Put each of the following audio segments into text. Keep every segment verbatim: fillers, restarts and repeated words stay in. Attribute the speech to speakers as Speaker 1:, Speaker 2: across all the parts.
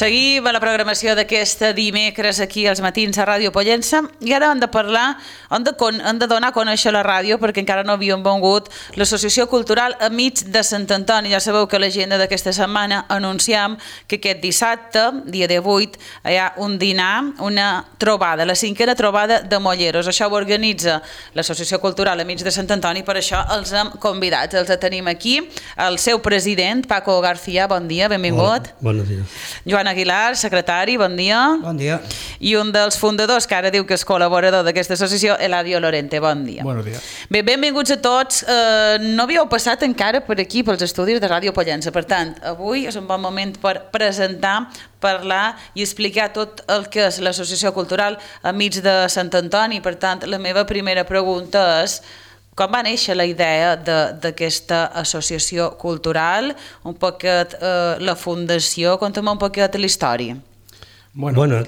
Speaker 1: Seguim a la programació d'aquesta dimecres aquí als matins a Ràdio Pollença i ara hem de parlar, hem de, con, hem de donar a conèixer la ràdio perquè encara no havíem vengut l'Associació Cultural Amics de Sant Antoni. Ja sabeu que a l'agenda d'aquesta setmana anunciam que aquest dissabte, dia divuit, hi ha un dinar, una trobada, la cinquena trobada de Molleros. Això ho organitza l'Associació Cultural Amics de Sant Antoni, per això els hem convidat. Els tenim aquí, el seu president, Paco García, bon dia, benvingut.
Speaker 2: Hola, bon dia.
Speaker 1: Joan Aguilar, secretari, bon dia.
Speaker 3: Bon dia.
Speaker 1: I un dels fundadors, que ara diu que és col·laborador d'aquesta associació, Eladio Lorente, bon dia.
Speaker 3: Bon dia.
Speaker 1: Bé, benvinguts a tots. Eh, no havíeu passat encara per aquí, pels estudis de Ràdio Pollença. Per tant, avui és un bon moment per presentar, parlar i explicar tot el que és l'Associació Cultural Amics de Sant Antoni. Per tant, la meva primera pregunta és: com va néixer la idea d'aquesta associació cultural? Un poquet eh, la fundació, conta'm un poquet la història.
Speaker 2: Bueno, bueno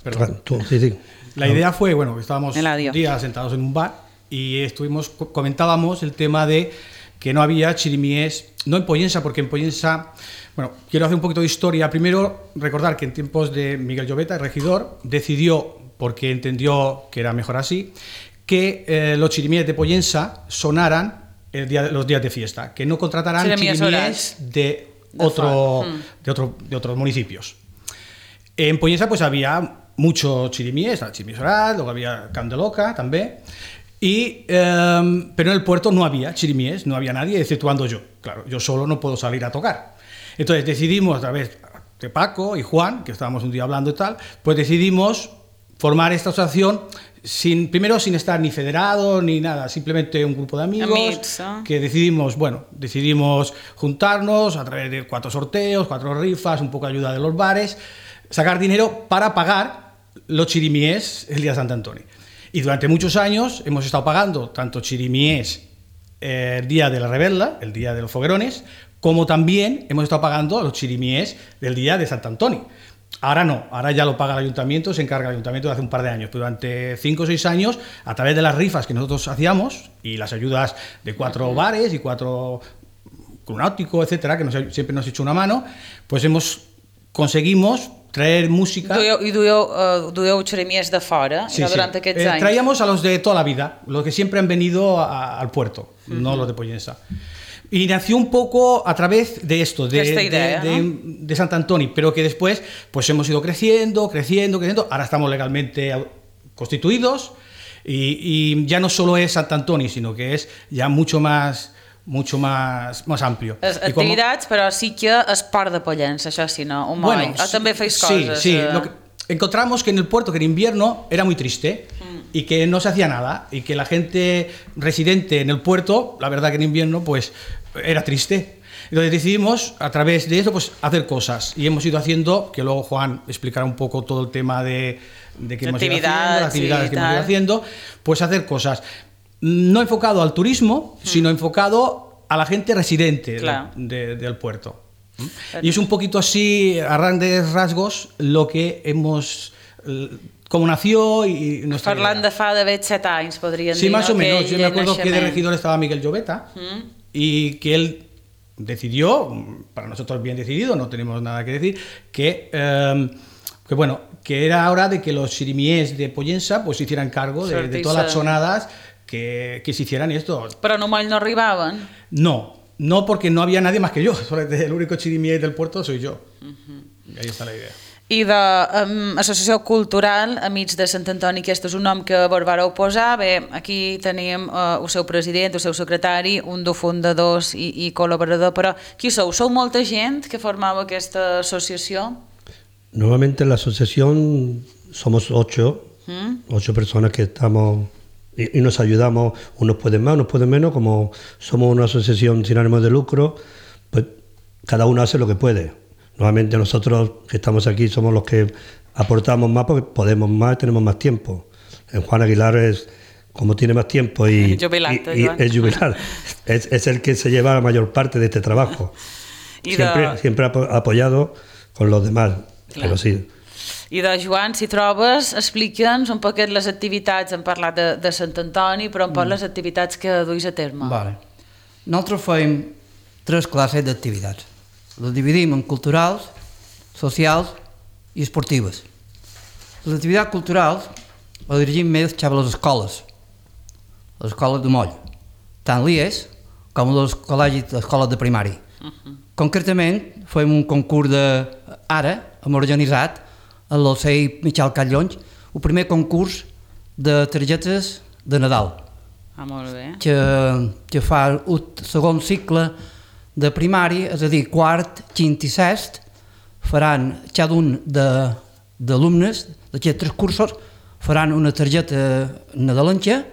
Speaker 2: perdón, tú, sí, sí.
Speaker 3: La idea fue, bueno, estábamos
Speaker 1: Eladio.
Speaker 3: un día sentados en un bar y estuvimos, comentábamos el tema de que no había chirimíes, no en Pollença, porque en Pollença, bueno, quiero hacer un poquito de historia. Primero, recordar que en tiempos de Miguel Lloveta, el regidor, decidió, porque entendió que era mejor así, que eh, los chirimíes de Pollença sonaran el día, los días de fiesta, que no contrataran chirimíes, chirimíes de, otro, de, de, otro, de otros municipios. En Pollença pues había muchos chirimíes, chirimíes oral, luego había Candeloca también, y, eh, pero en el puerto no había chirimíes, no había nadie, exceptuando yo. Claro, yo solo no puedo salir a tocar. Entonces decidimos, a través de Paco y Juan, que estábamos un día hablando y tal, pues decidimos formar esta asociación sin, primero sin estar ni federado ni nada, simplemente un grupo de amigos
Speaker 1: Amics, ¿eh?
Speaker 3: que decidimos, bueno, decidimos juntarnos a través de cuatro sorteos, cuatro rifas, un poco de ayuda de los bares, sacar dinero para pagar los chirimíes el día de Sant Antoni. Y durante muchos años hemos estado pagando tanto chirimíes eh, el día de la Rebella, el día de los foguerones, como también hemos estado pagando los chirimíes del día de Sant Antoni. Ahora no, ahora ya lo paga el ayuntamiento, se encarga el ayuntamiento de hace un par de años. Pero durante cinco o seis años, a través de las rifas que nosotros hacíamos y las ayudas de cuatro uh-huh. bares y cuatro Club Náutico, etcétera, que nos, siempre nos ha hecho una mano, pues hemos conseguimos traer música.
Speaker 1: I dueu, uh, dueu xerimies de fora,
Speaker 3: sí,
Speaker 1: durant
Speaker 3: sí.
Speaker 1: aquests
Speaker 3: eh,
Speaker 1: anys.
Speaker 3: Traíamos a los de toda la vida, los que siempre han venido a, al puerto, uh-huh. no los de Pollença. Y nació un poco a través de esto, de,
Speaker 1: Esta idea,
Speaker 3: de,
Speaker 1: ¿no?
Speaker 3: de, de Sant Antoni, pero que después pues hemos ido creciendo, creciendo, creciendo. Ahora estamos legalmente constituidos y, y ya no solo es Sant Antoni, sino que es ya mucho más, mucho más, más amplio.
Speaker 1: Es, activitats, com... però sí que és part de Pollença, això sí, no? Un
Speaker 3: bueno,
Speaker 1: moll. O també feis
Speaker 3: sí,
Speaker 1: coses.
Speaker 3: Sí, sí.
Speaker 1: Eh...
Speaker 3: Lo que encontramos que en el puerto, que en invierno era muy triste mm. y que no se hacía nada y que la gente residente en el puerto, la verdad que en invierno, pues era triste. Entonces decidimos a través de eso pues hacer cosas y hemos ido haciendo, que luego Juan explicará un poco todo el tema de, de que hemos ido haciendo, las actividades que hemos ido haciendo, pues hacer cosas no enfocado al turismo, mm. sino enfocado a la gente residente claro. de, de, del puerto. Y es un poquito así, a grandes rasgos, lo que hemos, cómo nació y nuestra
Speaker 1: Parlant
Speaker 3: idea.
Speaker 1: de fa d'haver set anys, podríem
Speaker 3: sí,
Speaker 1: dir.
Speaker 3: Sí, más o menos. Yo me acuerdo
Speaker 1: naixement.
Speaker 3: que de regidor estaba Miguel Lloveta mm. y que él decidió, para nosotros bien decidido, no tenemos nada que decir, que, eh, que bueno, que era hora de que los chirimíes de Pollença pues se hicieran cargo de, de todas las sonadas que, que se hicieran esto.
Speaker 1: Però no moll no arribaven?
Speaker 3: No. No, porque no había nadie más que yo. El único chirimí del puerto soy yo. Uh-huh. Ahí está la idea.
Speaker 1: I d'Associació um, Cultural Amics de Sant Antoni, aquest és un nom que vos vareu posar. Bé, aquí tenim uh, el seu president, el seu secretari, un dels fundadors i, i col·laborador, però qui sou? Sou molta gent que formava aquesta associació?
Speaker 2: Normalmente en la asociación somos ocho, ¿Mm? ocho personas que estamos y, y nos ayudamos, unos pueden más, unos pueden menos, como somos una asociación sin ánimo de lucro, pues cada uno hace lo que puede. Normalmente nosotros que estamos aquí somos los que aportamos más porque podemos más y tenemos más tiempo. En Juan Aguilar es, como tiene más tiempo y,
Speaker 1: jubilante,
Speaker 2: y, y es jubilar, es, es el que se lleva la mayor parte de este trabajo. Siempre, de... siempre apoyado con los demás, claro. Pero sí.
Speaker 1: I de Joan, si trobes, explica'ns un poquet les activitats, hem parlat de, de Sant Antoni, però un poc mm. les activitats que duis a terme.
Speaker 4: Vale. Nosaltres fem tres classes d'activitats. Les dividim en culturals, socials i esportives. Les activitats culturals les dirigim més cap a les escoles, les escoles de moll, tant l'I E S com els col·legis, les escoles de primari. Uh-huh. Concretament, fem un concurs de... Ara hem organitzat a l'O C I Miquel Catllons el primer concurs de targetes de Nadal.
Speaker 1: Ah, molt bé.
Speaker 4: Que, que fa el segon cicle de primari, és a dir, quart, quint i sest, faran cada un d'alumnes d'aquests tres cursos, faran una targeta nadalenca,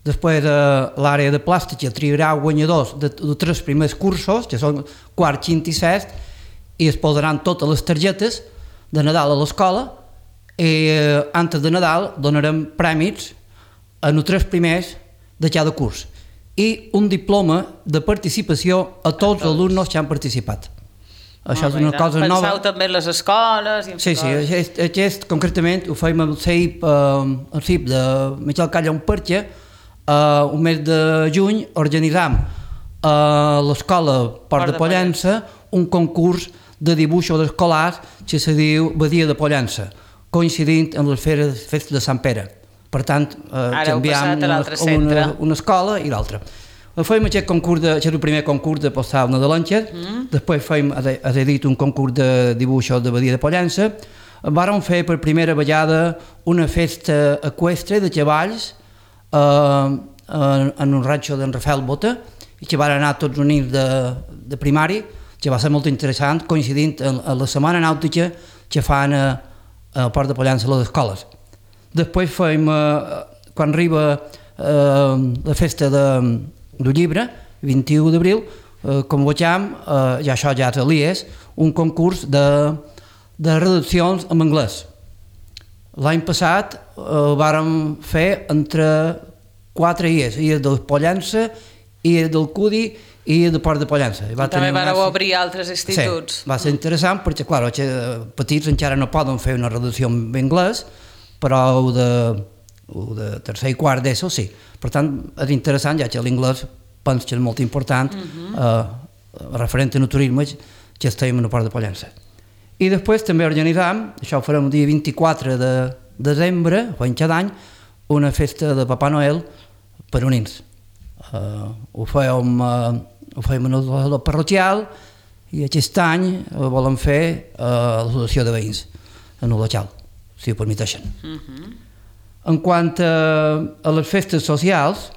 Speaker 4: després de l'àrea de plàstica triarà guanyadors de, de tres primers cursos, que són quart, quint i sest, i es posaran totes les targetes de Nadal a l'escola, i eh, antes de Nadal donarem prèmits en els tres primers de cada curs i un diploma de participació a tots els alumnes que han participat. Això és una cosa nova.
Speaker 1: Penseu també en les escoles... I en
Speaker 4: sí, sí, aquest, aquest concretament ho fem al C I P, eh, al C I P de Miquel Catllons perquè eh, un mes de juny organitzam a l'escola Port de Pollença un concurs de dibuixos escolars que se diu Badia de Pollença, coincidint amb les festes de Sant Pere. Per tant, eh, canviem una, una, una escola i l'altra. Fem aquest concurs, de, aquest és el primer concurs de postal nadalenques, mm. després fem, has dit, un concurs de dibuixos de Badia de Pollença. Vàrem fer per primera vegada una festa eqüestre de cavalls eh, en, en un ranxo d'en Rafael Bota, i que van anar tots units de, de primari, que va ser molt interessant, coincidint en, en la setmana nàutica que fan a, a Port de Pollença a les escoles. Després fem, eh, quan arriba eh, la festa de, del llibre, vint-i-u d'abril, eh, convocam, eh, ja això ja és a l'I E S, un concurs de, de redaccions en anglès. L'any passat eh, vàrem fer entre quatre I E S, I E S del Pollença, I E S del Cudi i de Port de Pollença.
Speaker 1: Va també vareu una... obrir altres instituts.
Speaker 4: Sí, va ser interessant perquè, clar, els petits encara no poden fer una redacció en anglès, però el de, el de tercer i quart d'ESO sí. Per tant, és interessant, ja que l'inglès penso que és molt important, uh-huh. eh, referent a turisme, que estem a Port de Pollença. I després també organitzam, això ho farem el dia vint-i-quatre de desembre, fem cada any, una festa de Papà Noel per unins. Uh, ho fèiem, uh, ho fèiem en el parroquial i aquest any uh, volem fer uh, l'associació de veïns en el local, si ho permeteixen. Uh-huh. En quant a, a les festes socials,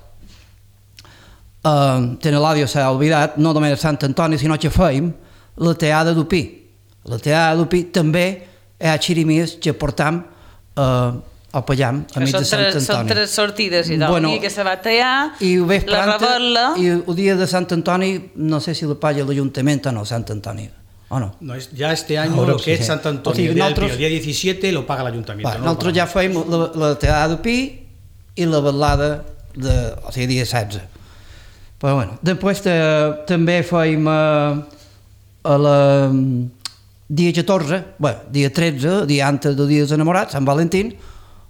Speaker 4: uh, tenen l'àudio s'ha oblidat, no només a Sant Antoni, sinó que fèiem la teada d'Upí. La teada d'Upí també hi ha xirimies que portam uh, al Pallam, a mig de Sant Antoni.
Speaker 1: Són tres sortides i tal, bueno, i que se va tallar, la rebel·la...
Speaker 4: I el dia de Sant Antoni, no sé si la paga l'Ajuntament o no, Sant Antoni, o no?
Speaker 3: No, ya este año no, lo que sí, es Sant Antoni, o sigui, el, día nosaltres, el día diecisiete lo paga l'Ajuntament.
Speaker 4: No nosaltres ja fèiem la, la teada d'Upí i la vetllada, de, o sigui, dia setze. Però bueno, després de, també fèiem eh, a la... dia catorze, bé, dia tretze, dia antes del dia dels enamorats, Sant Valentín,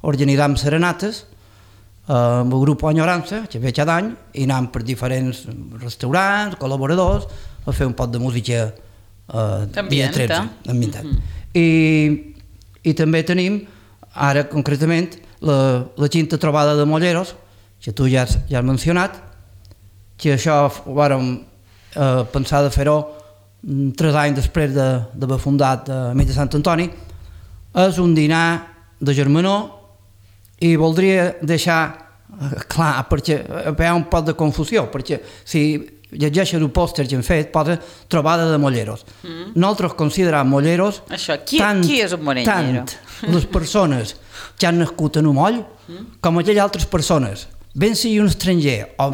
Speaker 4: organitzam serenates eh, amb el grup Enyorança, que ve cada any, i anem per diferents restaurants, col·laboradors, a fer un pot de música eh, dia tretze, ambientat. Mm-hmm. I, I també tenim, ara concretament, la, la quinta trobada de Molleros, que tu ja has, ja has mencionat, que això ho vàrem eh, pensar de fer-ho tres anys després d'haver fundat a mig de Sant Antoni. És un dinar de germanor i voldria deixar clar, perquè hi ha un poc de confusió, perquè si llegeixes el pòster que hem fet, posa trobada de molleros. Mm. Nosaltres considerem molleros
Speaker 1: Això, qui,
Speaker 4: tant,
Speaker 1: qui és un mollero?
Speaker 4: tant les persones que han nascut en un moll mm. com aquelles altres persones, ben sigui un estranger o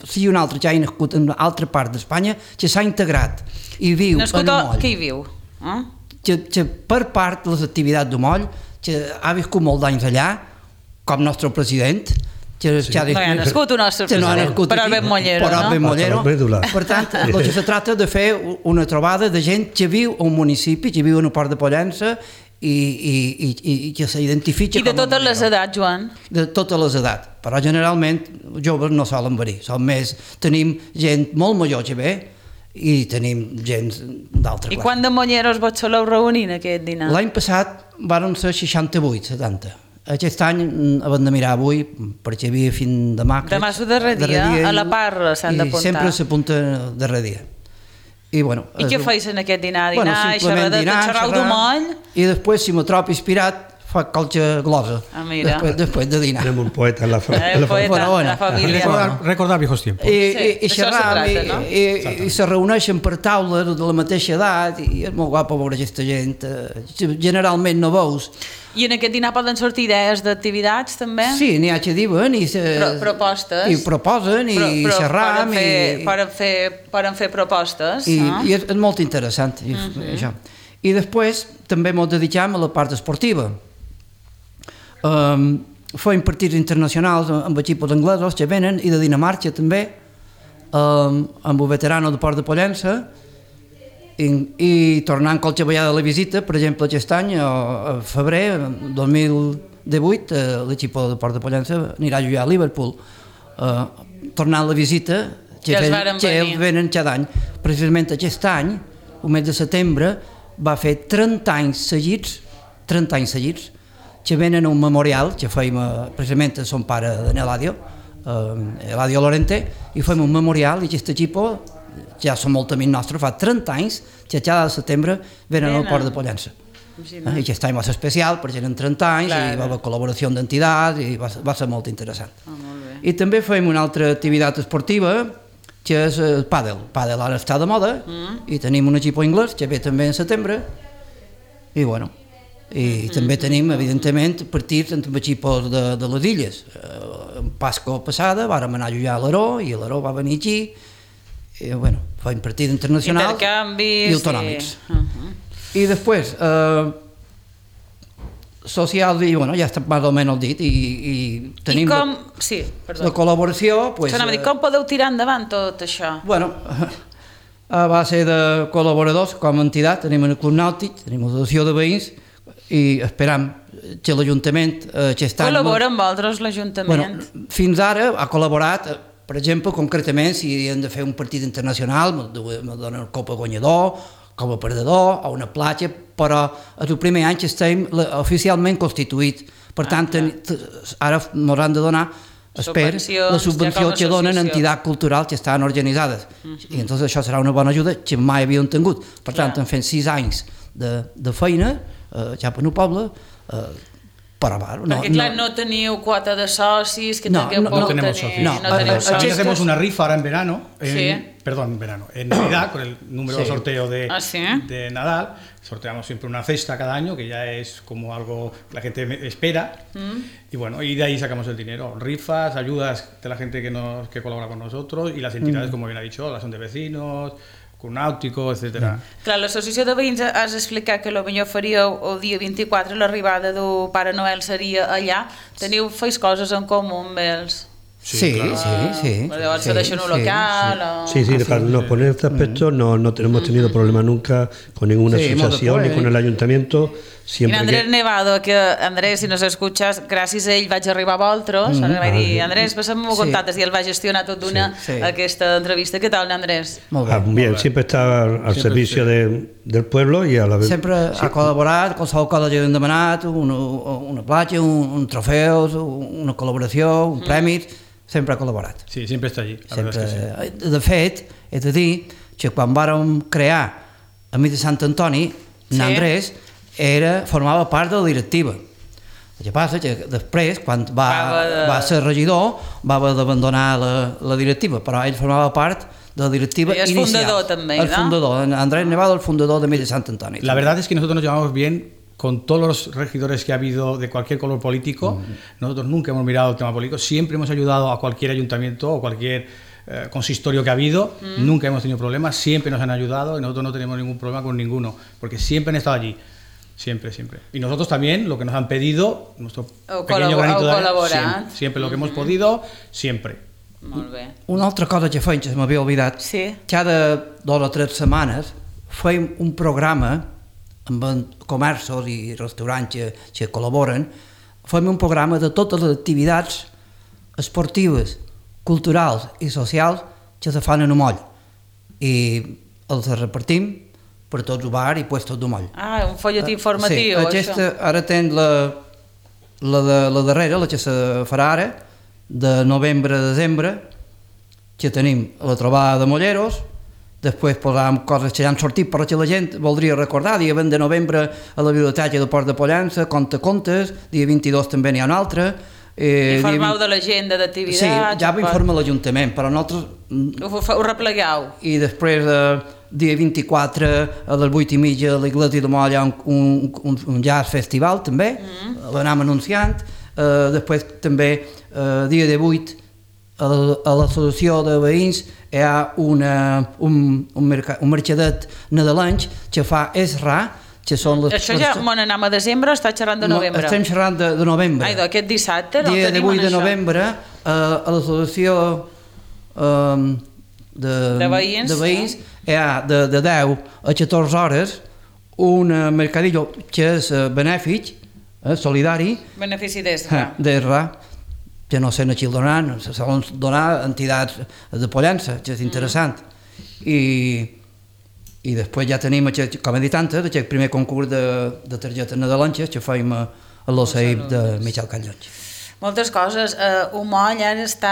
Speaker 4: sigui un altre que hagi nascut en una altra part d'Espanya, que s'ha integrat i viu
Speaker 1: nascut
Speaker 4: en un moll.
Speaker 1: Que hi viu? Eh?
Speaker 4: Que, que per part de les activitats del moll, que ha viscut molt d'anys allà, com nostre president, que,
Speaker 1: sí.
Speaker 4: que ha
Speaker 1: no hi ha nascut un nostre president, no però el ben mollero,
Speaker 4: però
Speaker 1: no?
Speaker 4: Ben mollero. Per tant, el que se tracta de fer una trobada de gent que viu a un municipi, que viu en el Port de Pollença i, i, i, i que s'identifica com a
Speaker 1: I de totes les edats, Joan?
Speaker 4: De totes les edats, però generalment joves no solen venir, són més, tenim gent molt major que ve i tenim gent d'altra
Speaker 1: I
Speaker 4: classe.
Speaker 1: quant de monyeros vos soleu reunir en aquest dinar?
Speaker 4: L'any passat varen ser seixanta-vuit, setanta. Aquest any hem de mirar avui, perquè hi havia fin demà.
Speaker 1: Demà és el darrer dia, a la part s'han d'apuntar.
Speaker 4: I sempre s'apunta el darrer dia. I, bueno,
Speaker 1: I què
Speaker 4: un...
Speaker 1: feis en aquest dinar? Dinar,
Speaker 4: bueno,
Speaker 1: xerrar, dinar, xerrar d'un moll?
Speaker 4: I després, si me trobo inspirat, fa qualque glosa.
Speaker 1: Ah, mira.
Speaker 4: Després, després de dinar.
Speaker 2: Tenemos un poeta en la, fa
Speaker 1: Eh,
Speaker 2: en la
Speaker 1: poeta,
Speaker 2: familia.
Speaker 4: Bueno, bueno.
Speaker 1: la família.
Speaker 3: Recordar, recordar viejos tiempos.
Speaker 4: I,
Speaker 1: Sí,
Speaker 4: i, i
Speaker 1: d'això
Speaker 4: xerram,
Speaker 1: se tracta,
Speaker 4: i,
Speaker 1: no?
Speaker 4: i, i se reuneixen per taules de la mateixa edat, i és molt guapo veure aquesta gent. eh, Generalment no veus.
Speaker 1: I en aquest dinar poden sortir idees d'activitats, també?
Speaker 4: Sí, n'hi ha que diuen i, se,
Speaker 1: Pro, propostes.
Speaker 4: i proposen i
Speaker 1: Però- però
Speaker 4: xerram
Speaker 1: poden fer,
Speaker 4: i,
Speaker 1: poden fer, poden fer propostes.
Speaker 4: i,
Speaker 1: no?
Speaker 4: i és, és molt interessant i, uh -huh. això. I després també ens dediquem a la part esportiva. Um, fem partits internacionals amb equipos anglesos que venen i de Dinamarca també, um, amb el veterano de Port de Pollença, i, i tornant qualque vegada a la visita, per exemple aquest any, a, a febrer dos mil divuit, eh, l'equip de Port de Pollença anirà a jugar a Liverpool. Eh, tornant la visita, que,
Speaker 1: Ja els
Speaker 4: ven,
Speaker 1: varen
Speaker 4: que
Speaker 1: venir.
Speaker 4: ells venen cada any. Precisament aquest any, el mes de setembre, va fer trenta anys seguits, trenta anys seguits, que venen a un memorial que fèiem eh, precisament a son pare de Eladio, eh, Eladio Lorente, i fèiem un memorial i aquest equip ja són molt amics nostres, fa trenta anys que cada setembre venen al Port de Pollença.
Speaker 1: Imagina't.
Speaker 4: I aquest any va ser especial perquè eren trenta anys
Speaker 1: Clar.
Speaker 4: i va haver col·laboració d'entitats i va, va ser molt interessant.
Speaker 1: Ah, molt bé.
Speaker 4: I també fèiem una altra activitat esportiva que és el pàdel. El pàdel ara està de moda
Speaker 1: Mm.
Speaker 4: i tenim un equip anglès que ve també en setembre i bueno, i
Speaker 1: Mm.
Speaker 4: també tenim evidentment partits amb equips de, de les illes. Eh, en Pasco passada vàrem anar a jugar a l'Aró i l'Aró va venir aquí i bueno, fèiem partits internacionals
Speaker 1: Intercanvis
Speaker 4: i autonòmics.
Speaker 1: I... Uh -huh.
Speaker 4: I després, eh, social, i bueno, ja està més o menys dit, i, i tenim
Speaker 1: I com...
Speaker 4: la,
Speaker 1: Sí, perdó.
Speaker 4: la col·laboració... Pues,
Speaker 1: Pues, dir, com podeu tirar endavant tot això?
Speaker 4: Bueno, a base de col·laboradors com a entitat, tenim el Club Nàutic, tenim l'associació de veïns, i esperam que l'Ajuntament eh, aquest any...
Speaker 1: Col·labora amb vosaltres l'Ajuntament?
Speaker 4: Bueno, fins ara ha col·laborat, eh, per exemple, concretament, si hem de fer un partit internacional, me donen el Copa Guanyador, com a perdedor, a una platja, però és el primer any que estem oficialment constituït. Per tant,
Speaker 1: Ah,
Speaker 4: ten, ara ens han de donar, espero,
Speaker 1: Subvencions,
Speaker 4: la
Speaker 1: ja
Speaker 4: subvenció
Speaker 1: com a
Speaker 4: que donen
Speaker 1: associació.
Speaker 4: entitats culturals que estan organitzades. Uh -huh. I entonces això serà una bona ajuda que mai havíem tingut. Per tant,
Speaker 1: Clar.
Speaker 4: hem fet sis anys de, de feina, eh, ja per un poble, eh, però bueno, no,
Speaker 1: Perquè, clar, no teniu quota de socis que
Speaker 4: No,
Speaker 1: tingueu
Speaker 4: no,
Speaker 1: por
Speaker 3: no tenemos
Speaker 1: tenir...
Speaker 3: socios.
Speaker 4: No,
Speaker 1: no teniu
Speaker 4: eh,
Speaker 1: socis.
Speaker 3: También
Speaker 4: Estos-
Speaker 3: hacemos una rifa ahora en verano, en-
Speaker 1: Sí.
Speaker 3: perdón, en verano, en Navidad, con el número de
Speaker 4: Sí.
Speaker 3: sorteo de,
Speaker 1: Ah, ¿sí?
Speaker 3: de Nadal. Sorteamos siempre una cesta cada año, que ya es como algo que la gente me- espera.
Speaker 1: Mm.
Speaker 3: Y bueno, y de ahí sacamos el dinero. Rifas, ayudas de la gente que, nos, que colabora con nosotros y las entidades,
Speaker 4: Mm.
Speaker 3: como bien ha dicho, las son de vecinos, Club Náutico, etcétera.
Speaker 1: Clar, l'associació de veïns has explicat que potser faríeu el dia vint-i-quatre, l'arribada del Pare Noel seria allà. Teniu, feis coses en comú amb ells?
Speaker 4: Sí, sí,
Speaker 3: claro.
Speaker 4: sí. sí,
Speaker 1: Però llavors
Speaker 4: sí,
Speaker 1: se deixen un
Speaker 4: sí,
Speaker 1: local o...
Speaker 2: Sí, sí, claro, no, con este aspecto no, no tenemos tenido problema nunca con ninguna
Speaker 4: Sí, hemos
Speaker 2: asociación ni
Speaker 4: después.
Speaker 2: con el ayuntamiento.
Speaker 1: I
Speaker 2: Siempre
Speaker 1: Andrés
Speaker 2: que...
Speaker 1: Nevado, que Andrés, si nos escuchas, gràcies a ell vaig arribar a vosaltres, mm -hmm. vaig dir, Andrés, passa'm-ho
Speaker 4: Sí.
Speaker 1: contactes, i ell va gestionar tot d'una
Speaker 4: Sí, sí.
Speaker 1: aquesta entrevista. Què tal, Andrés?
Speaker 4: Molt bé.
Speaker 2: Ah, bien, siempre está al, al
Speaker 3: Siempre,
Speaker 2: servicio
Speaker 3: sí.
Speaker 2: de, del pueblo y a la vez...
Speaker 4: Sempre ha col·laborat, qualsevol cosa que hem demanat, una, una platja, un, un trofeus, una col·laboració, un premi, sempre ha col·laborat.
Speaker 3: Sí, siempre está allí. La
Speaker 4: Sempre,
Speaker 3: verdad es que sí.
Speaker 4: de fet, he de dir que quan vàrem crear a mi de Sant Antoni,
Speaker 1: Sí.
Speaker 4: n'Andrés era, formava part de la directiva. El que passa que després, quan va,
Speaker 1: Va haver de-
Speaker 4: va ser regidor, va haver d'abandonar la, la directiva, però ell formava part de la directiva
Speaker 1: I és
Speaker 4: inicial.
Speaker 1: fundador també,
Speaker 4: el
Speaker 1: no?
Speaker 4: fundador, Andrés Nevado, el fundador de mi de Sant Antoni.
Speaker 3: La verdad es que nosotros nos llevamos bien con todos los regidores que ha habido de cualquier color político. Nosotros nunca hemos mirado el tema político, siempre hemos ayudado a cualquier ayuntamiento o cualquier eh, consistorio que ha habido, nunca hemos tenido problemas, siempre nos han ayudado y nosotros no tenemos ningún problema con ninguno, porque siempre han estado allí. Siempre, siempre. Y nosotros también, lo que nos han pedido, nuestro
Speaker 1: Heu
Speaker 3: pequeño
Speaker 1: col·labor-
Speaker 3: granito
Speaker 1: heu
Speaker 3: de arena,
Speaker 1: col·laborat.
Speaker 3: siempre, siempre lo que hemos podido, siempre.
Speaker 1: Molt bé.
Speaker 4: Una altra cosa que feim, que se m'havia oblidat,
Speaker 1: Sí.
Speaker 4: cada dues o tres setmanes feim un programa amb en comerços i restaurants que, que col·laboren, fem un programa de totes les activitats esportives, culturals i socials que se fan en un moll. i els repartim per tots el bar i puestos de moll.
Speaker 1: Ah, un folletí informatiu,
Speaker 4: sí, aquesta, això. Ara tens la, la, de, la darrera, la que se farà ara, de novembre a desembre, que tenim la trobada de molleros, després posàvem coses que ja han sortit però que la gent voldria recordar, dia vint de novembre a la biblioteca de Port de Pollença, Conte Contes, dia vint-i-dos també n'hi ha un altre.
Speaker 1: Eh, Informeu vint... de l'agenda d'activitats?
Speaker 4: Sí, ja ho informa l'Ajuntament, però nosaltres...
Speaker 1: Ho, ho replegueu?
Speaker 4: I després, eh, dia vint-i-quatre, a les vuit i mitja, a l'Iglésia de Moll hi ha un, un, un, un jazz festival, també, mm. l'anam anunciant. Eh, després, també, eh, dia divuit, a, a l'associació de veïns hi ha una, un, un, merc un mercadet nadalenc que fa Esra, que són les...
Speaker 1: Això ja me n'anem a desembre o està xerrant de novembre?
Speaker 4: No, estem xerrant de, de novembre.
Speaker 1: Ai, aquest dissabte no
Speaker 4: dia
Speaker 1: tenim
Speaker 4: divuit de novembre, eh, a l'associació eh, de,
Speaker 1: de veïns,
Speaker 4: de veïns hi ha de, de deu a catorze hores un mercadillo que és benèfic, eh, solidari.
Speaker 1: Benefici d'Esra.
Speaker 4: Eh, d'Esra, que no sé a qui el donaran, se solen donar a entitats de Pollença, que és interessant. Mm. I... I després ja tenim, com he dit antes, aquest primer concurs de, de targetes nadalenques que fèiem a, a l'O C I P de Miquel Callons.
Speaker 1: Moltes coses. Uh, un moll ara està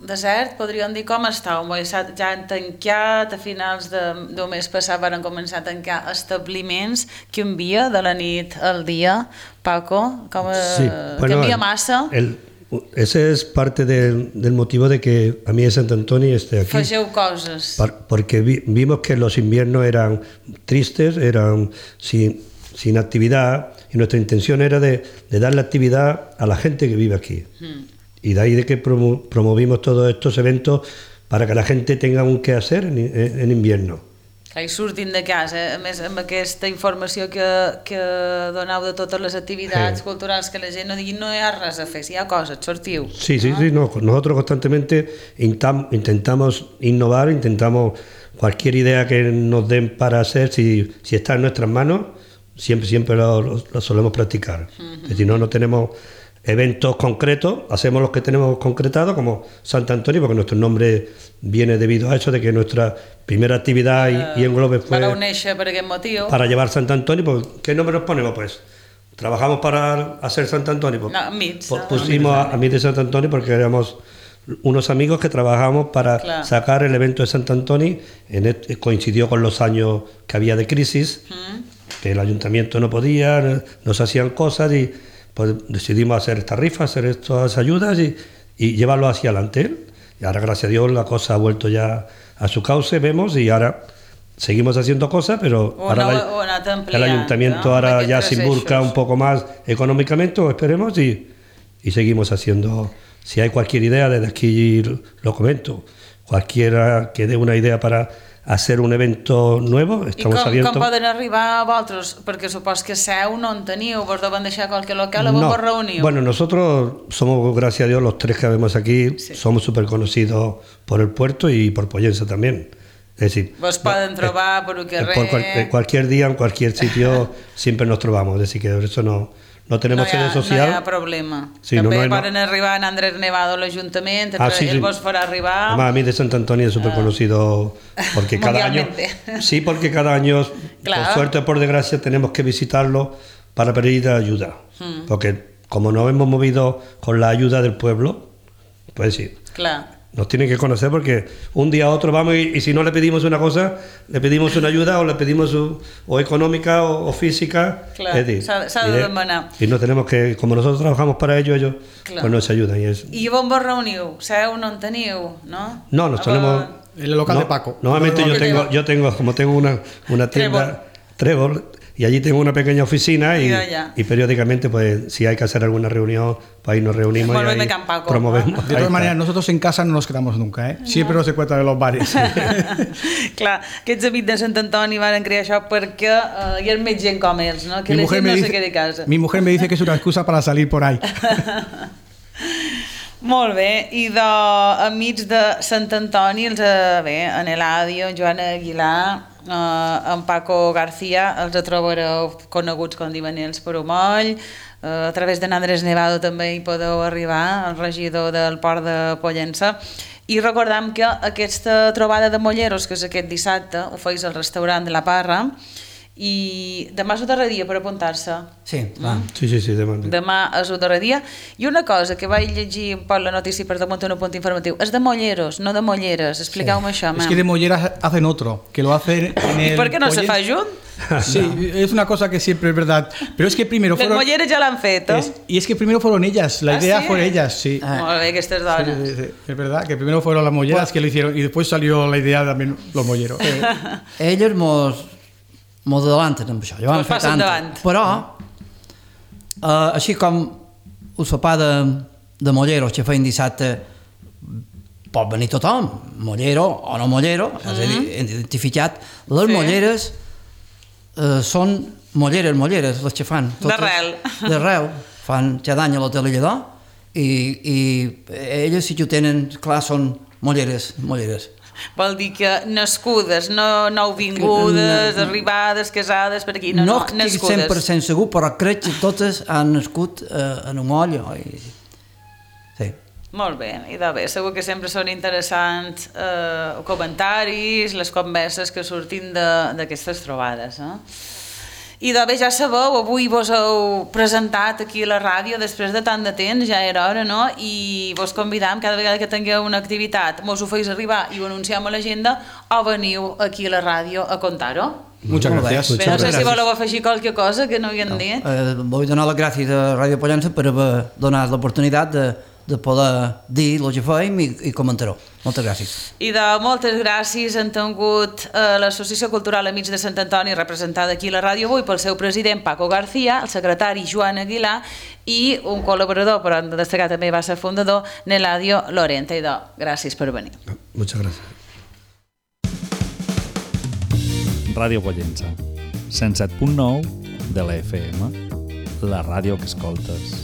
Speaker 1: desert, podríem dir com està. Un moll ja han tancat, a finals de, del mes passat van començar a tancar establiments. Canvia de la nit al dia, Paco? Com, uh,
Speaker 2: sí, bueno,
Speaker 1: canvia massa?
Speaker 2: El, Ese es parte de, del motivo de que a mí de Sant Antoni esté aquí.
Speaker 1: Fageu coses.
Speaker 2: Par, porque vi, vimos que los inviernos eran tristes, eran sin, sin actividad, y nuestra intención era de, de darle actividad a la gente que vive aquí. Mm. Y de ahí de que promo, promovimos todos estos eventos para que la gente tenga un qué hacer en, en, en invierno.
Speaker 1: I surtin de casa, a més amb aquesta informació que, que doneu de totes les actividades sí. culturals, que la gent no digui no hi ha res a fer, si hi ha coses, sortiu.
Speaker 2: Sí, sí, ¿no? sí, no. Nosotros constantemente intentamos innovar, intentamos cualquier idea que nos den para hacer, si, si está en nuestras manos, siempre, siempre lo, lo, lo solemos practicar. Uh-huh. Si no, no tenemos eventos concretos, hacemos los que tenemos concretados, como Sant Antoni, porque nuestro nombre viene debido a eso, de que nuestra primera actividad y, y englobe fue
Speaker 1: para unirse por aquel motivo.
Speaker 2: Para llevar Sant Antoni. Pues, ¿qué nombre nos ponemos? Pues trabajamos para hacer Sant Antoni. Pues,
Speaker 1: no, Mits,
Speaker 2: pues, pusimos a, a Mits de Sant Antoni porque éramos unos amigos que trabajamos para claro. sacar el evento de Sant Antoni. En el, coincidió con los años que había de crisis, ¿Mm? que el ayuntamiento no podía, nos hacían cosas y pues decidimos hacer esta rifa, hacer estas ayudas y, y llevarlo hacia adelante. Y ahora, gracias a Dios, la cosa ha vuelto ya a su cauce, vemos, y ahora seguimos haciendo cosas, pero
Speaker 1: una,
Speaker 2: ahora la, el ayuntamiento ¿no? ahora ya se involucra un poco más económicamente, o esperemos, y, y seguimos haciendo. Si hay cualquier idea, desde aquí lo comento, cualquiera que dé una idea para hacer un evento nuevo, estamos
Speaker 1: I com,
Speaker 2: abiertos.
Speaker 1: com poden arribar a vosaltres? Perquè supos que seu no en teniu, vos deuen deixar qualque local, o vos
Speaker 2: no.
Speaker 1: vos reuniu?
Speaker 2: Bueno, nosotros somos, gracias a Dios, los tres que vemos aquí, sí. somos súper conocidos por el puerto y por Pollença también. Es decir,
Speaker 1: vos poden trobar por el carrer...
Speaker 2: Por cual, cualquier día, en cualquier sitio, siempre nos trobamos, es decir, que por eso no... No tenemos
Speaker 1: no
Speaker 2: sede social.
Speaker 1: No hi ha problema.
Speaker 2: Sí,
Speaker 1: També
Speaker 2: no, no,
Speaker 1: poden no. arribar en Andrés Nevado a l'Ajuntament,
Speaker 2: ah, sí,
Speaker 1: ell
Speaker 2: sí.
Speaker 1: vos farà arribar...
Speaker 2: Además, a mí de Sant Antoni es súper conocido porque cada año... Sí, porque cada año, claro. por suerte o por desgracia, tenemos que visitarlo para pedir ayuda. Hmm. Porque como nos hemos movido con la ayuda del pueblo, pues sí.
Speaker 1: Claro.
Speaker 2: Nos tienen que conocer porque un día a otro vamos y, y si no le pedimos una cosa, le pedimos una ayuda o le pedimos su, o económica o, o física.
Speaker 1: Claro, s'ha de demanar.
Speaker 2: Y no tenemos que, como nosotros trabajamos para ello, ellos claro. pues nos ayudan. Y, es,
Speaker 1: I on vos reuniu? Seu no en teniu, no?
Speaker 2: No, nos solemos...
Speaker 3: En el local
Speaker 2: no,
Speaker 3: de Paco.
Speaker 2: Normalmente yo tengo, yo tengo, como tengo una, una tienda... Trébol. Y allí tengo una pequeña oficina y, y periódicamente, pues, si hay que hacer alguna reunión, pues ahí nos reunimos y ahí
Speaker 1: Paco,
Speaker 2: promovemos.
Speaker 1: ¿no?
Speaker 3: De todas maneras, nosotros en casa no nos quedamos nunca, ¿eh? Siempre no. nos encuentran en los bares.
Speaker 1: Clar, aquests amics de Sant Antoni van crear això perquè uh, hi ha més gent com ells, no? Que
Speaker 3: mi
Speaker 1: la gent no
Speaker 3: dice,
Speaker 1: se quede a casa.
Speaker 3: Mi mujer me dice que es una excusa para salir por ahí.
Speaker 1: Molt bé, i d'amics de Sant Antoni, els, bé, en Eladio, en Joan Aguilar, eh, en Paco García, els trobareu coneguts com diuen ells per Omoll, eh, a través de Andrés Nevado també hi podeu arribar, el regidor del Port de Pollença, I recordam que aquesta trobada de molleros, que és aquest dissabte, ho feis al restaurant de la Parra, i demà és el darrer dia per apuntar-se.
Speaker 4: Sí, va.
Speaker 2: Sí, sí, sí, demà.
Speaker 1: Demà és el darrer dia. I una cosa que vaig llegir un poc la notícia per damunt un punt informatiu, és de molleros, no de molleres. Expliqueu-me això,
Speaker 3: Es que de molleras hacen otro, que lo hacen en el...
Speaker 1: ¿Y por qué no se
Speaker 3: pollen-
Speaker 1: fa junt?
Speaker 3: Sí, es una cosa que siempre es verdad. Pero es que primero
Speaker 1: Les
Speaker 3: fueron...
Speaker 1: molleres ja l'han fet, eh?
Speaker 3: es- y es que primero fueron ellas, la
Speaker 1: ¿Ah,
Speaker 3: idea
Speaker 1: sí?
Speaker 3: fue ellas, sí.
Speaker 4: Ah.
Speaker 1: Molt bé, aquestes
Speaker 3: Sí,
Speaker 1: dones.
Speaker 3: sí, sí, es verdad que primero fueron las molleras que lo hicieron y después salió la idea también los molleros.
Speaker 4: Elles mos, mos adelanten amb això. Ja vam
Speaker 1: Mos
Speaker 4: fer
Speaker 1: passen
Speaker 4: tant.
Speaker 1: davant.
Speaker 4: Però, eh, així com el sopar de, de molleros que feien dissabte, pot venir tothom, mollero o no mollero, mm -hmm. és a dir, identificat. Les
Speaker 1: Sí.
Speaker 4: molleres eh, són molleres, molleres, les que fan. totes.
Speaker 1: D'arrel.
Speaker 4: D'arrel. Fan cada any a l'hotel Lledó i, i elles sí que ho tenen, clar, són molleres, molleres.
Speaker 1: Vol dir que nascudes, no nouvingudes,
Speaker 4: No.
Speaker 1: arribades, casades per aquí, no,
Speaker 4: No,
Speaker 1: no,
Speaker 4: estic
Speaker 1: nascudes.
Speaker 4: cent per cent segur, però crec que totes han nascut eh, en un moll. I... Sí.
Speaker 1: Molt bé, i de bé, segur que sempre són interessants eh, comentaris, les converses que surtin de- d'aquestes trobades. Eh? I de bé, ja sabeu, avui vos heu presentat aquí a la ràdio després de tant de temps, ja era hora, no? I vos convidam cada vegada que tingueu una activitat, mos ho feis arribar i ho anunciem a l'agenda o veniu aquí a la ràdio a contar-ho.
Speaker 3: Muchas
Speaker 4: Molt bé.
Speaker 3: gracias.
Speaker 1: Bé, no sé
Speaker 3: Muchas
Speaker 1: si
Speaker 3: gracias.
Speaker 1: voleu afegir qualque cosa que no hi han dit.
Speaker 4: Eh, vull donar les gràcies a Ràdio Pollença per haver donat l'oportunitat de, de poder dir el que fèiem i, i comentar-ho. Moltes gràcies.
Speaker 1: I de moltes gràcies han tingut eh, l'Associació Cultural Amics de Sant Antoni, representada aquí a la ràdio avui pel seu president Paco García, el secretari Joan Aguilar i un col·laborador, però hem de destacar també va ser fundador, Neladio Lorente. I de, gràcies per venir.
Speaker 2: Muchas gracias.
Speaker 5: Ràdio Pollença, cent set punt nou de la F M, la ràdio que escoltes.